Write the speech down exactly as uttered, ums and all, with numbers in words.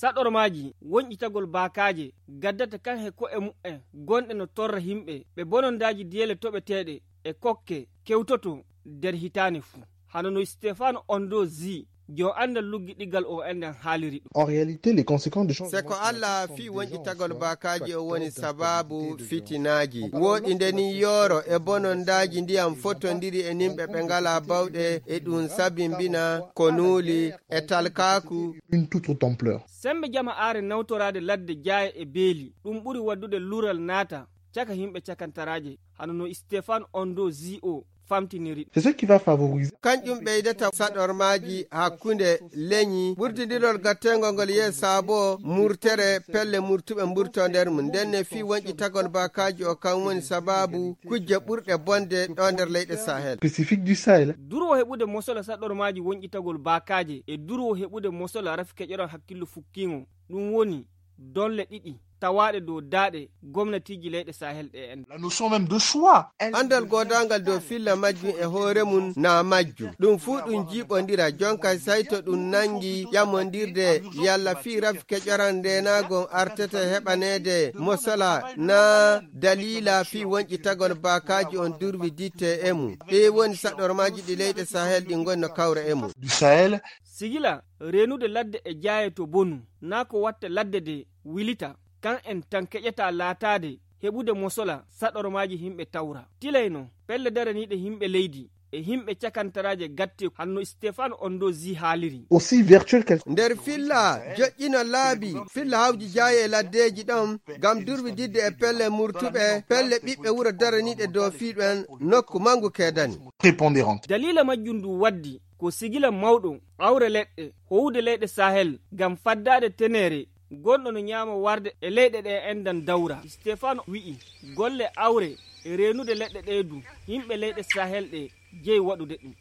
Saɗormaaji wonƴitagol baakaaje gaddata kan he ko'e mu'en gonɗe no torra himɓe ɓe bonondaaji diyele toɓeteeɗe e kokke kewtoto nder hitaane fuu. Hano no Stefano Ondo Zi, jo anndal luggiɗigal o enɗen haaliri ɗum. En réalité, les conséquences de changement climatique sont déjà en train d'impacter dans le cadre de développement. En tout cas, dans le cadre de développement. Seko Allah fii wonƴitagol baakaaji o woni sabaabu fitinaaji. Wooɗi nde ni yooro e bonondaaji ndiyam fotondiri e nimɓe ɓe ngalaa bawɗe e ɗum sabimbina ko nuuli e talkaaku. Une toute autre ampleur. Sembe jama aare nawtoraade ladde jaaye e beeli, ɗum ɓuri waddude lural naata caka himɓe cakantaraaje, hano no Stefan Ondo Zi o famtiniri. C'est ce qui va favoriser. Kanƴum ɓeydata saɗormaaji hakkunde leñi, ɓurtindirol gattengol ngol yehi saabo murtere pelle murtuɓe mburto nder mum. Nden ne fii wonƴitagol baakaaji o kan woni sabaabu kujje ɓurɗe bonde ɗo nder leyɗe Sahel. Spécifique du Sahel. Durwo heɓude mosola saɗormaaji wonƴitagol baakaaje e durwo heɓude mosola rafi keƴoran hakkillo fukkiingo. Ɗum woni donle ɗiɗi tawaaɗe dow daaɗe gomnatiiji leyɗe Sahel ɗe en. La notion même de choix. Anndal goodaangal dow filla majjum e hoore mum na majju. Ɗum fuu ɗum jiiɓondira jonka sayto ɗum nanngi ƴamondirde yalla fii rafi keƴoran ndeenaagon artete heɓaneede mosola na daliila fii wonƴitagol baakaaji on durwi ditte e mum. Ɗi woni saɗormaaji ɗi leyɗe Sahel ɗi ngoni no kawra e mum. Du Sahel. Sigila reenude ladde e jaaye to bonu, naa ko watta ladde de wilita, kan en tan keƴata laataade heɓude mosola saɗormaaji himɓe tawra. Tilay no pelle daraniiɗe himɓe leydi e himɓe cakantaraaje gatte hanno Stefan Ondo Zi haaliri. Aussi vertueux qu'elle. Nder filla joƴƴino laabi filla hawji jaaye e laddeeji ɗon ngam durwi didde e pelle murtuɓe pelle ɓiɓɓe wuro daraniiɗe dow fii ɗon nokku mangu keedani. Prépondérante. Daliila majjum ndu waddi ko sigila mawɗo awre leɗɗe howude leyɗe Sahel ngam faddaade teneere gonɗo no ñaama warde e leyɗe ɗe enɗan dawra. Stefano wi'i golle awre e reenude leɗɗe ɗe du himɓe leyɗe Sahel ɗe jeyi waɗude ɗum.